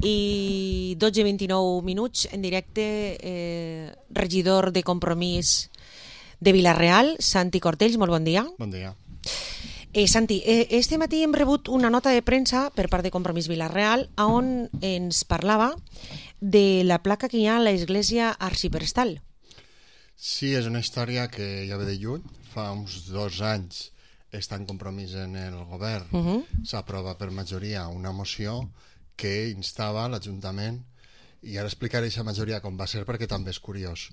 i 12:29 en directe, regidor de Compromís de Vila-real, Santi Cortells, molt bon dia. Bon dia. Santi, este matí hem rebut una nota de premsa per part de Compromís Vila-real on ens parlava de la placa que hi ha a l'església arxiprestal. Sí, és una història que ja ve de lluny. Fa uns 2 anys està en Compromís en el govern. S'aprova per majoria una moció que instava l'Ajuntament, i ara explicaré aquesta majoria com va ser perquè també és curiós,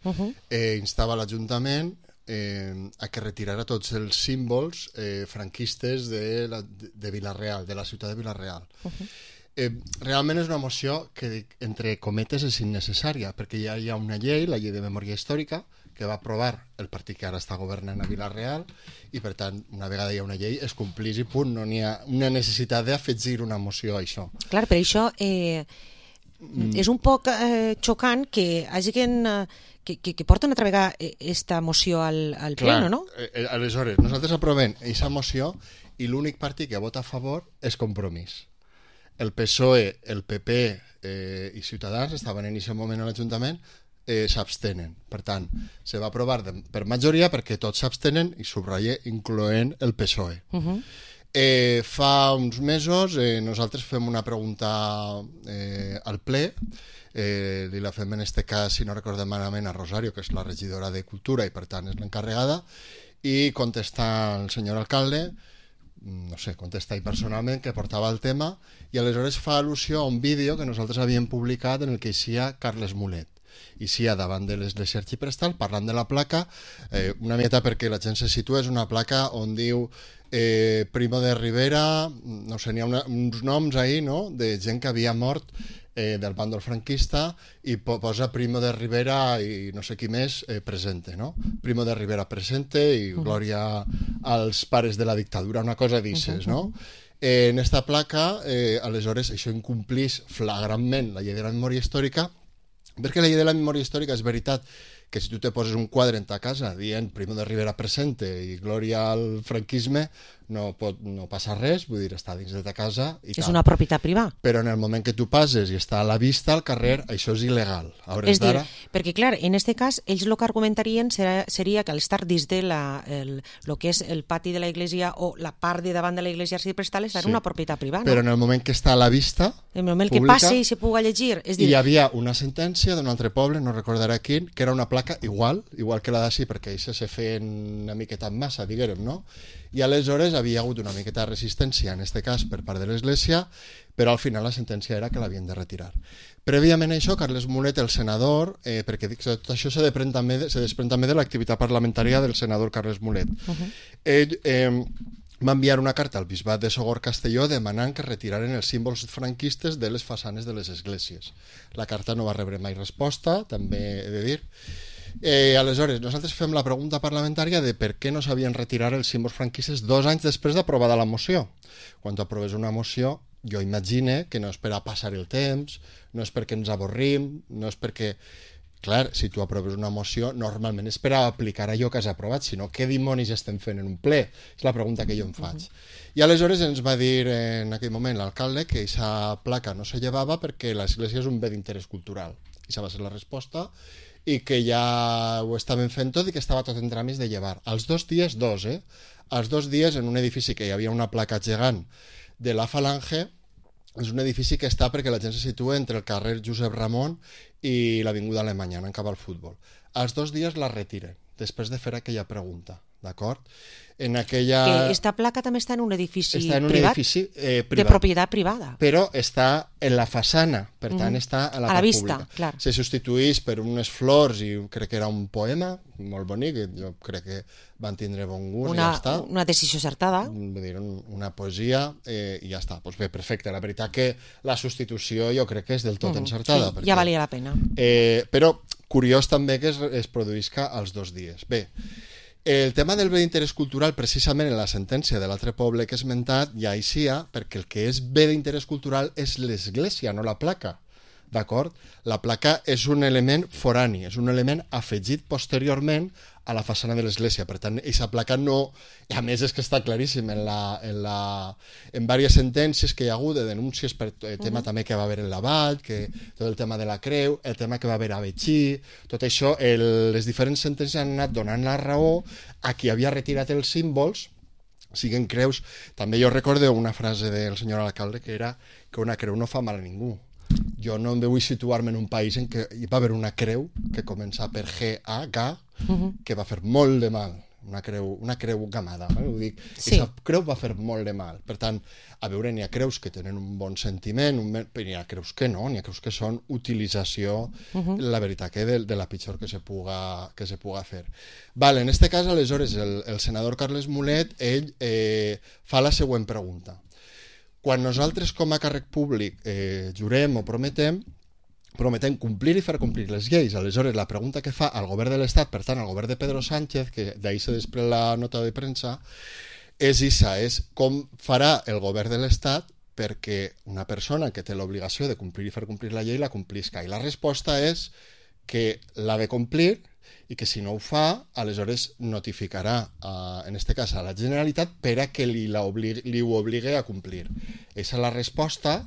instava l'Ajuntament a que retirara tots els símbols franquistes de Vila-real, de la ciutat de Vila-real. Realment és una moció que, entre cometes, és innecessària, perquè ja hi ha una llei, la llei de memòria històrica, que va aprovar el partit que ara està governant a Vila-real, i per tant, una vegada hi ha una llei, es complís i punt, no n'hi ha una necessitat d'afegir una moció a això. Clar, per això és un poc xocant que hagin... que porten altra vegada esta moció al pleno, no? Aleshores, nosaltres aprovem aquesta moció i l'únic partit que vota a favor és Compromís. El PSOE, el PP i Ciutadans estaven en aquest moment a l'Ajuntament, s'abstenen. Per tant, se va aprovar per majoria perquè tots s'abstenen, i subratlle, incloent el PSOE. Fa uns mesos nosaltres fem una pregunta al ple, li la fem en este cas, si no recordem malament, a Rosario, que és la regidora de Cultura i per tant és l'encarregada, i contesta el senyor alcalde, no sé, contesta ell personalment, que portava el tema, i aleshores fa al·lusió a un vídeo que nosaltres havíem publicat en el que eixia Carles Mulet. Eixia davant de l'església arxiprestal parlant de la placa, una miqueta perquè la gent se situa, és una placa on diu Primo de Rivera, no sé, n'hi ha uns noms ahí, no?, de gent que havia mort del bàndol franquista, i posa Primo de Rivera i no sé qui més presente, no? Primo de Rivera presente i glòria als pares de la dictadura, una cosa d'ixes, no? En esta placa, aleshores, això incomplís flagrantment la llei de la memòria històrica, perquè la llei de la memòria històrica és veritat que si tu te poses un quadre en ta casa dient Primo de Rivera presente i glòria al franquisme, no passa res, vull dir, està dins de ta casa i és tal. una propietat privada. Però en el moment que tu passes i està a la vista al carrer, això és il·legal. És dir, perquè clar, en aquest cas ells el que argumentarien seria que al estar dins de el que és el pati de la iglesia o la part de davant de la iglesia arxiprestal és una propietat privada, no? Però en el moment que està a la vista en el moment pública, que passi i se puga llegir, és dir... Hi havia una sentència d'un altre poble, no recordaré quin, que era una placa igual que la d'ací, perquè això se feien una miqueta en massa, diguem, no? I aleshores havia hagut una miqueta de resistència, en aquest cas per part de l'Església, però al final la sentència era que l'havien de retirar. Prèviament a això, Carles Mulet, el senador, perquè tot això se desprèn també de l'activitat parlamentària del senador Carles Mulet, ell va enviar una carta al bisbat de Sogorb Castelló demanant que retiraren els símbols franquistes de les façanes de les esglésies. La carta no va rebre mai resposta, també he de dir. Aleshores, nosaltres fem la pregunta parlamentària de per què no s'havien retirat els símbols franquistes 2 anys després d'aprovada la moció. Quan tu aproves una moció, jo imagine que no és per a passar el temps, no és perquè ens avorrim, no és perquè... Clar, si tu aproves una moció, normalment és per a aplicar allò que has aprovat, sinó què dimonis estem fent en un ple? És la pregunta que jo em faig. I aleshores ens va dir en aquell moment l'alcalde que aquesta placa no se llevava perquè l'església és un bé d'interès cultural. Aquesta va ser la resposta, i que ja ho estaven fent tot i que estava tot en tràmits de llevar. Als 2 dies, als 2 dies en un edifici que hi havia una placa gegant de la Falange, és un edifici que està perquè la gent se situa entre el carrer Josep Ramon i l'Avinguda Alemanya, anant cap al futbol. Als 2 dies la retiren, després de fer aquella pregunta, d'acord? En aquella... Que esta placa també està en un edifici privat, de propietat privada. Però està en la façana, per tant està a la part vista, pública. Clar. Se substituís per unes flors i crec que era un poema molt bonic, jo crec que van tindre bon gust i ja està. Una decisió acertada. Vull dir, una poesia i ja està. Doncs bé, perfecte. La veritat que la substitució jo crec que és del tot encertada. Sí, ja valia la pena. Però curiós també que es produïsca als 2 dies. Bé, el tema del bé d'interès cultural, precisament en la sentència de l'altre poble que he esmentat, ja eixia perquè el que és bé d'interès cultural és l'església, no la placa. d'acord? La placa és un element forani, és un element afegit posteriorment a la façana de l'església. Per tant, aquesta placa no... A més, és que està claríssim en diverses sentències que hi ha hagut de denúncies per el tema també que va haver en la Vall, que tot el tema de la creu, el tema que va haver a Betxí, tot això, les diferents sentències han anat donant la raó a qui havia retirat els símbols, siguen creus. També jo recordo una frase del senyor alcalde que era que una creu no fa mal a ningú. Jo no em vull situar-me en un país en què hi va haver una creu que comença per G-A-G, que va fer molt de mal, una creu gamada, ho dic. Sí. Aquesta creu va fer molt de mal. Per tant, a veure, n'hi ha creus que tenen un bon sentiment, però n'hi ha creus que no, n'hi ha creus que són utilització, la veritat, que de la pitjor que se puga fer. Vale, en este cas, aleshores, el senador Carles Mulet, ell fa la següent pregunta. Quan nosaltres com a càrrec públic jurem o prometem complir i fer complir les lleis. Aleshores, la pregunta que fa al govern de l'Estat, per tant, al govern de Pedro Sánchez, que d'ahir se després la nota de premsa, és com farà el govern de l'Estat perquè una persona que té l'obligació de complir i fer complir la llei la complisca. I la resposta és que l'ha de complir i que si no ho fa, aleshores notificarà, en aquest cas, a la Generalitat per a que li ho obligui a complir. Aquesta és la resposta,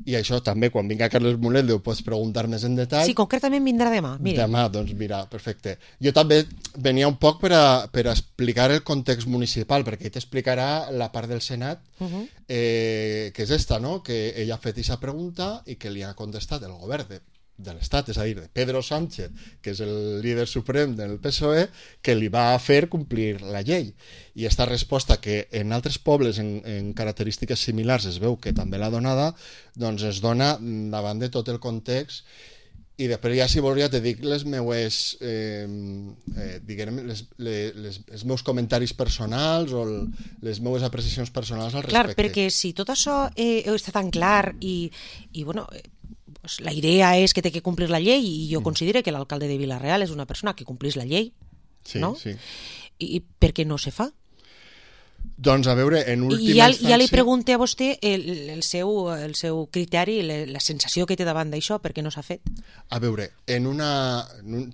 i això també, quan vinga Carles Mulet, ho pots preguntar més en detall. Sí, concretament vindrà demà. Mira. Demà, doncs mira, perfecte. Jo també venia un poc per a explicar el context municipal, perquè ell t'explicarà la part del Senat, que és esta, no? Que ell ha fet aquesta pregunta i que li ha contestat el govern de l'Estat, és a dir, de Pedro Sánchez, que és el líder suprem del PSOE, que li va fer complir la llei. I aquesta resposta, que en altres pobles en característiques similars es veu que també l'ha donada, doncs es dona davant de tot el context. I després ja, si vols, ja te dic les meues, diguem, els meus comentaris personals o les meues apreciacions personals al respecte. Clar, perquè si tot això està tan clar i bueno... Pues la idea és que té que complir la llei i jo considero que l'alcalde de Vila-real és una persona que complís la llei, no? Sí. I per què no se fa? Doncs a veure, en última instància... Ja li pregunto a vostè el seu criteri, la sensació que té davant d'això, per què no s'ha fet? A veure, en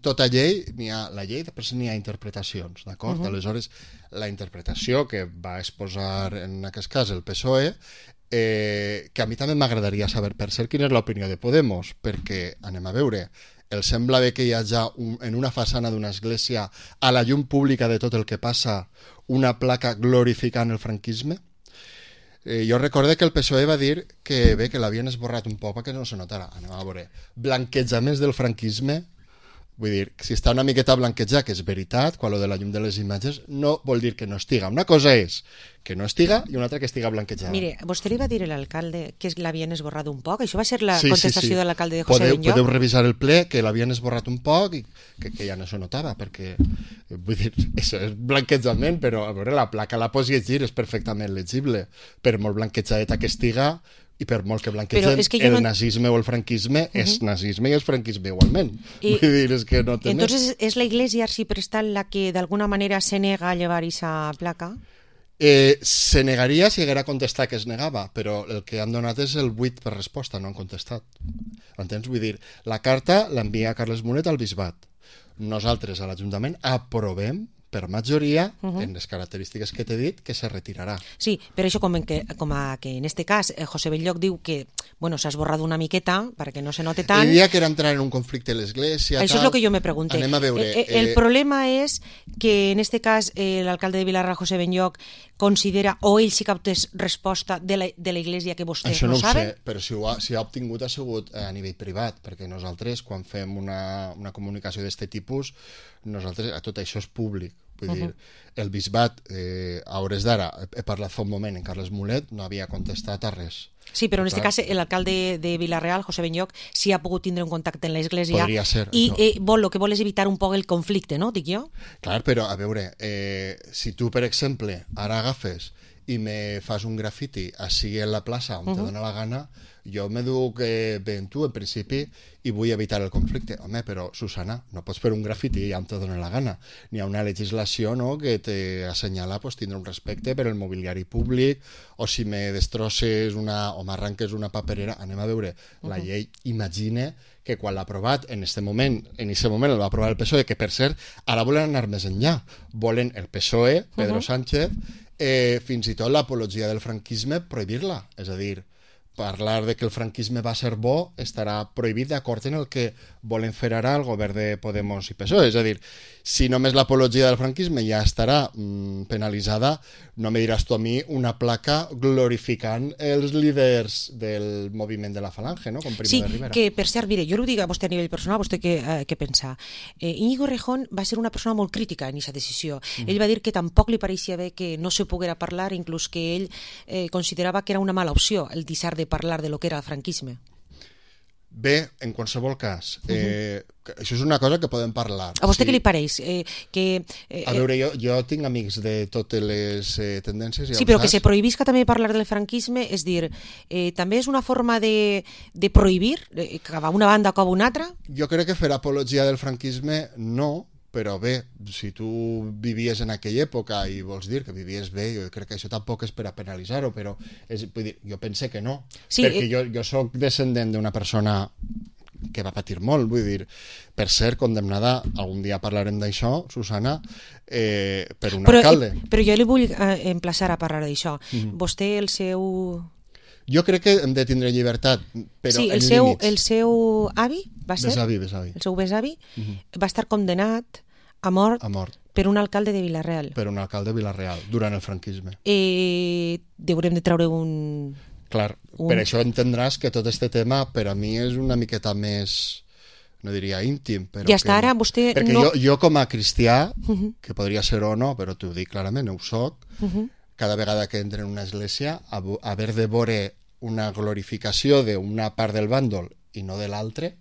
tota llei n'hi ha la llei, després n'hi ha interpretacions, d'acord? Aleshores, la interpretació que va exposar en aquest cas el PSOE, que a mi també m'agradaria saber, per cert, quina és l'opinió de Podemos, perquè, anem a veure, el sembla bé que hi ha ja en una façana d'una església a la llum pública de tot el que passa una placa glorificant el franquisme. Jo recordo que el PSOE va dir que bé, que l'havien esborrat un poc perquè no se notara. Anem a veure, blanquejaments del franquisme, vull dir, si està una miqueta blanquejat, que és veritat, quan lo de la llum de les imatges, no vol dir que no estiga. Una cosa és que no estiga i una altra que estiga blanquejada. Mire, vostè li va dir a l'alcalde que l'havien esborrat un poc? Això va ser la contestació de l'alcalde de José Benlloch? Podeu revisar el ple, que l'havien esborrat un poc i que ja no se notava, perquè, vull dir, això és blanquejament, però a veure, la placa la pots llegir, és perfectament legible, per molt blanquejadeta que estiga, i per molt que blanquegen, el nazisme o el franquisme és nazisme i és franquisme igualment. Vull dir, és que no té més. Entonces, ¿es la iglesia arciprestal la que de alguna manera se nega a llevar esa placa? Se negaria si haguera contestat que es negava, però el que han donat és el buit per resposta, no han contestat. Entens? Vull dir, la carta l'envia Carles Mulet al bisbat. Nosaltres a l'Ajuntament aprovem per majoria, en les característiques que t'he dit, que se retirarà. Sí, però això com que en este cas José Benlloch diu que s'ha esborrat una miqueta perquè no se note tant. Ell dia que era entrar en un conflicte a l'església... Això és el que jo me pregunté. Anem a veure... El problema és que en este cas l'alcalde de Vilarra, José Benlloch, considera, o ell sí que ha obtès resposta de la iglesia que vostès no saben? Això no ho sé, però si ha obtingut ha sigut a nivell privat, perquè nosaltres, quan fem una comunicació d'aquest tipus, nosaltres, tot això és públic. Vull dir, el bisbat, a hores d'ara, he parlat fa un moment en Carles Mulet, no havia contestat a res. Sí, però en aquest cas l'alcalde de Vila-real, José Benlloch, sí ha pogut tindre un contacte en l'església. Podria ser, i el que vol és evitar un poc el conflicte, no? Dic jo? Clar, però a veure, si tu, per exemple, ara agafes i me fas un grafiti així en la plaça on te dona la gana, jo me duc ben tu, en principi, i vull evitar el conflicte. Home, però, Susana, no pots fer un grafiti ja on te dona la gana. N'hi ha una legislació, no?, que t'assenyala pues, tindre un respecte per el mobiliari públic, o si me destrosses o m'arranques una paperera, anem a veure. La llei imagina que quan l'ha aprovat, en aquest moment el va aprovar el PSOE, que per cert, ara volen anar més enllà. Volen el PSOE, Pedro Sánchez, fins i tot l'apologia del franquisme, prohibir-la. És a dir, parlar de que el franquisme va ser bo estarà prohibit d'acord en el que volen fer ara el govern de Podemos i PSOE. És a dir, si només l'apologia del franquisme ja estarà penalitzada, no me diràs tu a mi una placa glorificant els líders del moviment de la Falange, no? Com Primo de Rivera. Sí, que per cert, mire, jo ho dic a vostè a nivell personal, vostè què pensa? Íñigo Errejón va ser una persona molt crítica en aquesta decisió. Ell va dir que tampoc li pareixia bé que no se poguera parlar, inclús que ell considerava que era una mala opció el deixar de parlar de lo que era el franquisme. Bé, en qualsevol cas, això és una cosa que podem parlar. A vostè què li pareix? A veure, jo tinc amics de totes les tendències. Sí, però que se prohibisca també parlar del franquisme, és dir, també és una forma de prohibir, que va una banda o cap una altra? Jo crec que fer apologia del franquisme no, però bé, si tu vivies en aquella època i vols dir que vivies bé, jo crec que això tampoc és per a penalitzar-ho, però vull dir, jo pense que no, sí, perquè jo soc descendent d'una persona que va patir molt, vull dir, per ser condemnada, algun dia parlarem d'això, Susana, per un alcalde. Però jo li vull emplaçar a parlar d'això. Vostè, el seu... Jo crec que hem de tindre llibertat, però sí, en límits. El seu avi, va ser? Besavi. El seu besavi va estar condemnat a mort per un alcalde de Vila-real. Per un alcalde de Vila-real, durant el franquisme. Deurem de treure un... Clar, per això entendràs que tot este tema per a mi és una miqueta més, no diria íntim, però... I hasta ara vostè perquè no... jo com a cristià, que podria ser o no, però t'ho dic clarament, ho soc, cada vegada que entro en una església, haver de veure una glorificació d'una part del bàndol i no de l'altre,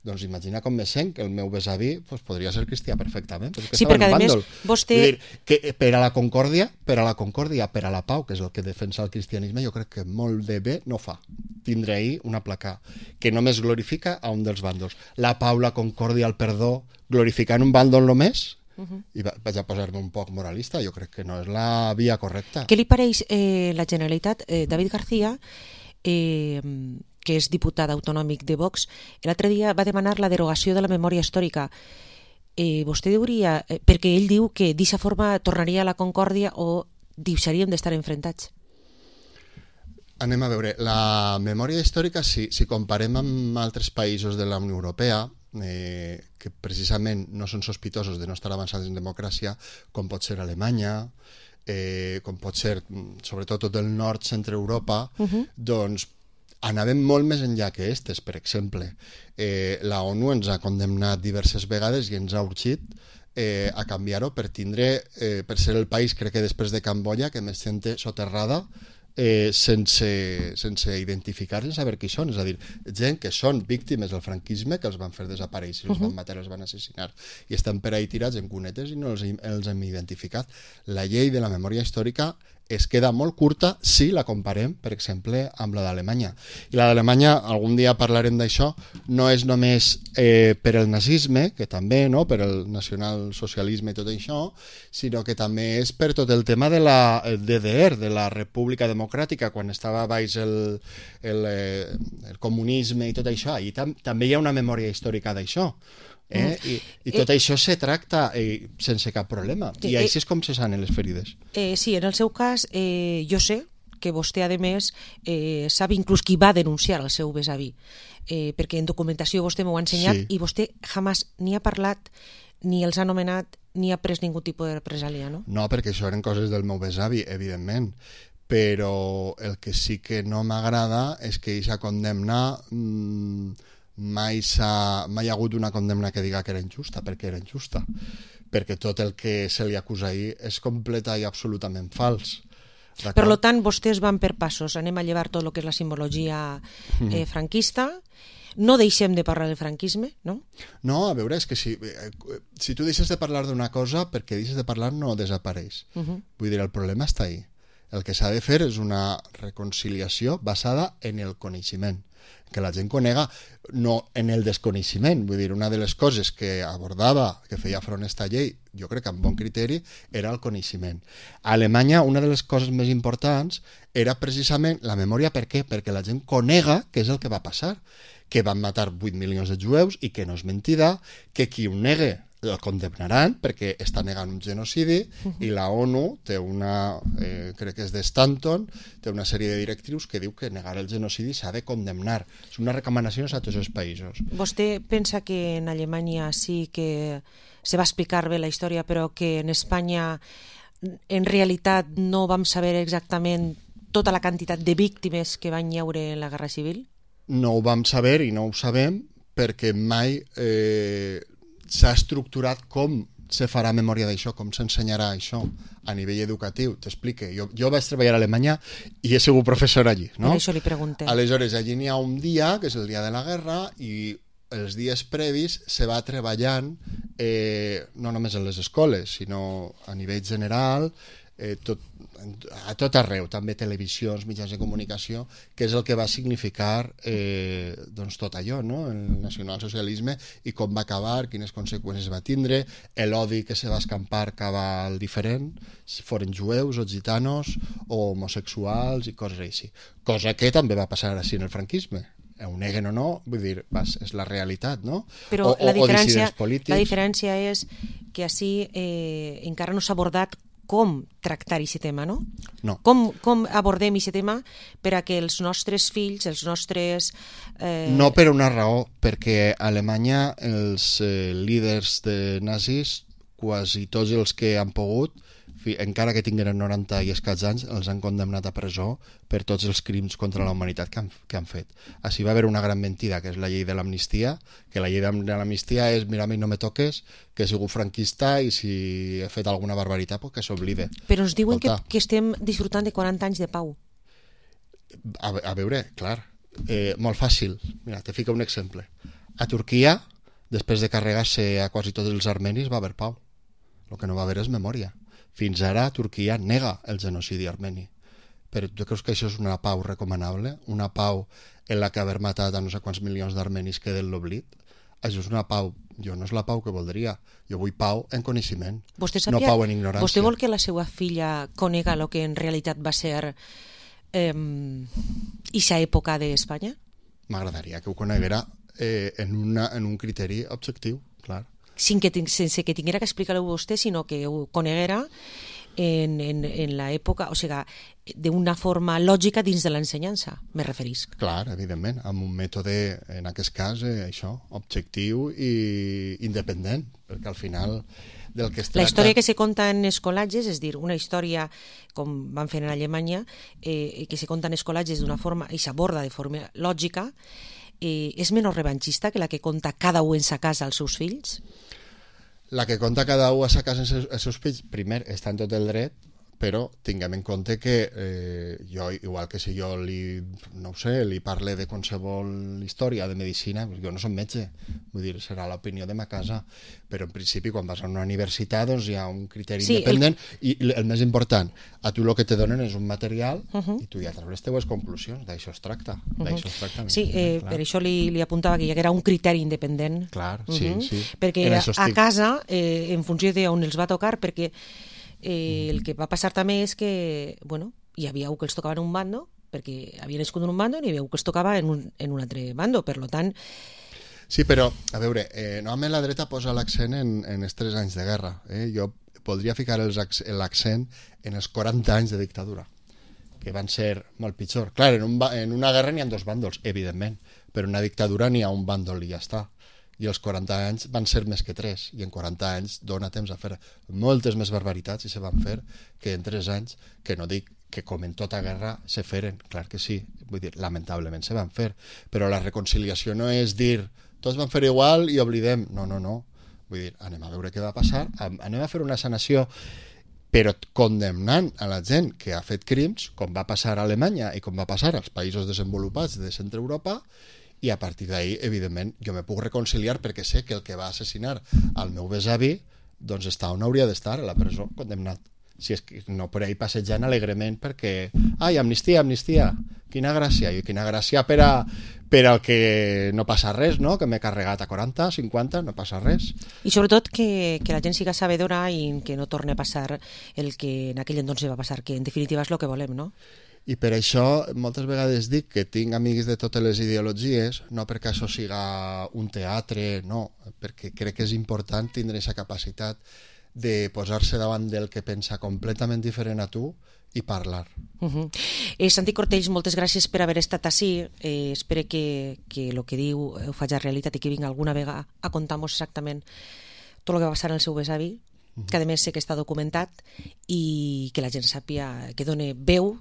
doncs imagina com me sent que el meu besavi podria ser cristià perfectament. Sí, perquè a més vostè... Vull dir, que per a la concòrdia, per a la pau, que és el que defensa el cristianisme, jo crec que molt de bé no fa tindre ahir una placa que només glorifica a un dels bàndols. La pau, la concòrdia, el perdó, glorificant un bàndol només, i vaig a posar-me un poc moralista, jo crec que no és la via correcta. Què li pareix la Generalitat? David García, que és diputat autonòmic de Vox, l'altre dia va demanar la derogació de la memòria històrica. Vostè diria, perquè ell diu que d'aquesta forma tornaria a la concòrdia o deixaríem d'estar enfrontats. Anem a veure, la memòria històrica, si comparem amb altres països de la Unió Europea, que precisament no són sospitosos de no estar avançats en democràcia, com pot ser Alemanya, com pot ser sobretot tot el nord, centre Europa, doncs anàvem molt més enllà que aquestes, per exemple. La ONU ens ha condemnat diverses vegades i ens ha urgit a canviar-ho per ser el país, crec que després de Camboya, que més gent té soterrada sense identificar, sense saber qui són. És a dir, gent que són víctimes del franquisme, que els van fer desaparèixer, els van matar, els van assassinar, i estan per ahí tirats en cunetes i no els hem identificat. La llei de la memòria històrica es queda molt curta si la comparem, per exemple, amb la d'Alemanya. I la d'Alemanya, algun dia parlarem d'això, no és només per el nazisme, que també, no?, per el nacionalsocialisme i tot això, sinó que també és per tot el tema de la DDR, de la República Democràtica, quan estava baix el comunisme i tot això. I també hi ha una memòria històrica d'això. I tot això se tracta sense cap problema, i així és com se sanen les ferides. Sí, en el seu cas jo sé que vostè a més sap inclús qui va denunciar el seu besavi, perquè en documentació vostè m'ho ha ensenyat, i vostè jamás ni ha parlat, ni els ha anomenat, ni ha pres ningú tipus de represàlia, no? No, perquè això eren coses del meu besavi, evidentment, però el que sí que no m'agrada és que aquesta condemna mai ha hagut una condemna que diga que era injusta, perquè era injusta, perquè tot el que se li acusa ahir és completa i absolutament fals. Per tant, vostès van per passos, anem a llevar tot el que és la simbologia franquista, no deixem de parlar del franquisme, no? No, a veure, és que si tu deixes de parlar d'una cosa, perquè deixes de parlar no desapareix. Vull dir, el problema està ahí. El que s'ha de fer és una reconciliació basada en el coneixement, que la gent conega, no en el desconeixement. Vull dir, una de les coses que abordava, que feia front a esta llei, jo crec que amb bon criteri, era el coneixement. A Alemanya, una de les coses més importants era precisament la memòria. Per què? Perquè la gent conega què és el que va passar, que van matar 8 milions de jueus i que no és mentida, que qui ho negue el condemnaran perquè està negant un genocidi, i la ONU té una, crec que és de Stanton, té una sèrie de directrius que diu que negar el genocidi s'ha de condemnar. És una recomanació a tots els països. Vostè pensa que en Alemanya sí que se va explicar bé la història, però que en Espanya en realitat no vam saber exactament tota la quantitat de víctimes que van hi haure en la Guerra Civil? No ho vam saber i no ho sabem perquè mai s'ha estructurat com se farà memòria d'això, com s'ensenyarà això a nivell educatiu. T'explique, jo vaig treballar a Alemanya i he sigut professor allí, no? Per això li pregunté. Aleshores, allí n'hi ha un dia, que és el dia de la guerra, i els dies previs se va treballant no només en les escoles, sinó a nivell general, a tot arreu, també televisions, mitjans de comunicació, que és el que va significar doncs tot allò, no? El nacionalsocialisme i com va acabar, quines conseqüències va tindre, l'odi que se va escampar cap al diferent, si foren jueus o gitanos o homosexuals i coses així. Cosa que també va passar així en el franquisme. Ho neguen o no, vull dir, és la realitat, no? Però la diferència és que així encara no s'ha abordat com tractar aquest tema, no? No. Com abordem aquest tema per a que els nostres fills, els nostres... No per una raó, perquè a Alemanya els líders de nazis, quasi tots els que han pogut, encara que tingueren 90 i escaig anys, els han condemnat a presó per tots els crims contra la humanitat que han fet. Així va haver una gran mentida, que és la llei de l'amnistia, que la llei de l'amnistia és mira, a mi no me toques, que he sigut franquista i si he fet alguna barbaritat, pues que s'oblide. Però ens diuen que estem disfrutant de 40 anys de pau. A veure, clar, molt fàcil. Mira, te fico un exemple. A Turquia, després de carregar-se a quasi tots els armenis, va haver pau. El que no va haver és memòria. Fins ara Turquia nega el genocidi armeni. Però tu creus que això és una pau recomanable? Una pau en la que haver matat a no sé quants milions d'armenis queda en l'oblit? Això és una pau. Jo no és la pau que voldria. Jo vull pau en coneixement, no pau en ignorància. Vostè vol que la seva filla conega el que en realitat va ser ixa època d'Espanya? M'agradaria que ho coneguera en un criteri objectiu, clar. Sense que tinguera que explicar-ho vostè, sinó que ho coneguera en l'època, o sigui, d'una forma lògica dins de l'ensenyança, me referisc. Clar, evidentment, amb un mètode, en aquest cas, això, objectiu i independent, perquè al final del que es tracta... La història que se conta en escolatges, és dir, una història, com van fer en Alemanya, que se conta en escolatges d'una forma, i s'aborda de forma lògica, és menys revanxista que la que conta cada un en sa casa als seus fills? La que conta cada un a sa casa als seus fills, primer, està en tot el dret, però tinguem en compte que jo, igual que si jo li parle de qualsevol història de medicina, jo no som metge, vull dir, serà l'opinió de ma casa, però en principi quan vas a una universitat doncs hi ha un criteri independent i el més important, a tu el que te donen és un material i tu ja treus les teves conclusions, d'això es tracta. Sí, per això li apuntava que hi haguera un criteri independent. Clar, sí. Perquè a casa, en funció d'on els va tocar, perquè el que va passar també és que, bueno, hi havia que els tocava en un bando, perquè havia nascut en un bando, i hi havia que els tocava en un altre bando, per tant... Sí, però, a veure, normalment la dreta posa l'accent en els 3 anys de guerra. Jo podria ficar l'accent en els 40 anys de dictadura, que van ser molt pitjor. Clar, en una guerra n'hi ha 2 bàndols, evidentment, però en una dictadura n'hi ha un bàndol i ja està. I els 40 anys van ser més que 3, i en 40 anys dona temps a fer moltes més barbaritats i se van fer que en 3 anys, que no dic que com en tota guerra se feren, clar que sí, vull dir, lamentablement se van fer, però la reconciliació no és dir tots van fer igual i oblidem, no, vull dir, anem a veure què va passar, anem a fer una sanació, però condemnant a la gent que ha fet crims, com va passar a Alemanya i com va passar als països desenvolupats de Centre Europa, i a partir d'ahir, evidentment, jo me puc reconciliar perquè sé que el que va assassinar al meu besavi doncs està on hauria d'estar, a la presó, condemnat. si és que no per ahí passejant alegrement perquè, ai, amnistia, amnistia, quina gràcia, i quina gràcia per al que no passa res, no? Que m'he carregat a 40, 50, no passa res. I sobretot que la gent siga sabedora i que no torni a passar el que en aquell entonces va passar, que en definitiva és el que volem, no? I per això moltes vegades dic que tinc amics de totes les ideologies, no perquè això siga un teatre, no, perquè crec que és important tindre aquesta capacitat de posar-se davant del que pensa completament diferent a tu i parlar. Santi Cortells, moltes gràcies per haver estat ací. Espero que el que diu ho faci realitat i que vinga alguna vegada a contar-nos exactament tot el que va passar en el seu besavi, que a més sé que està documentat, i que la gent sàpia que done veu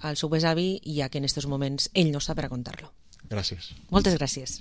al seu besavi, ja que en aquests moments ell no està per a contar-lo. Gràcies. Moltes gràcies.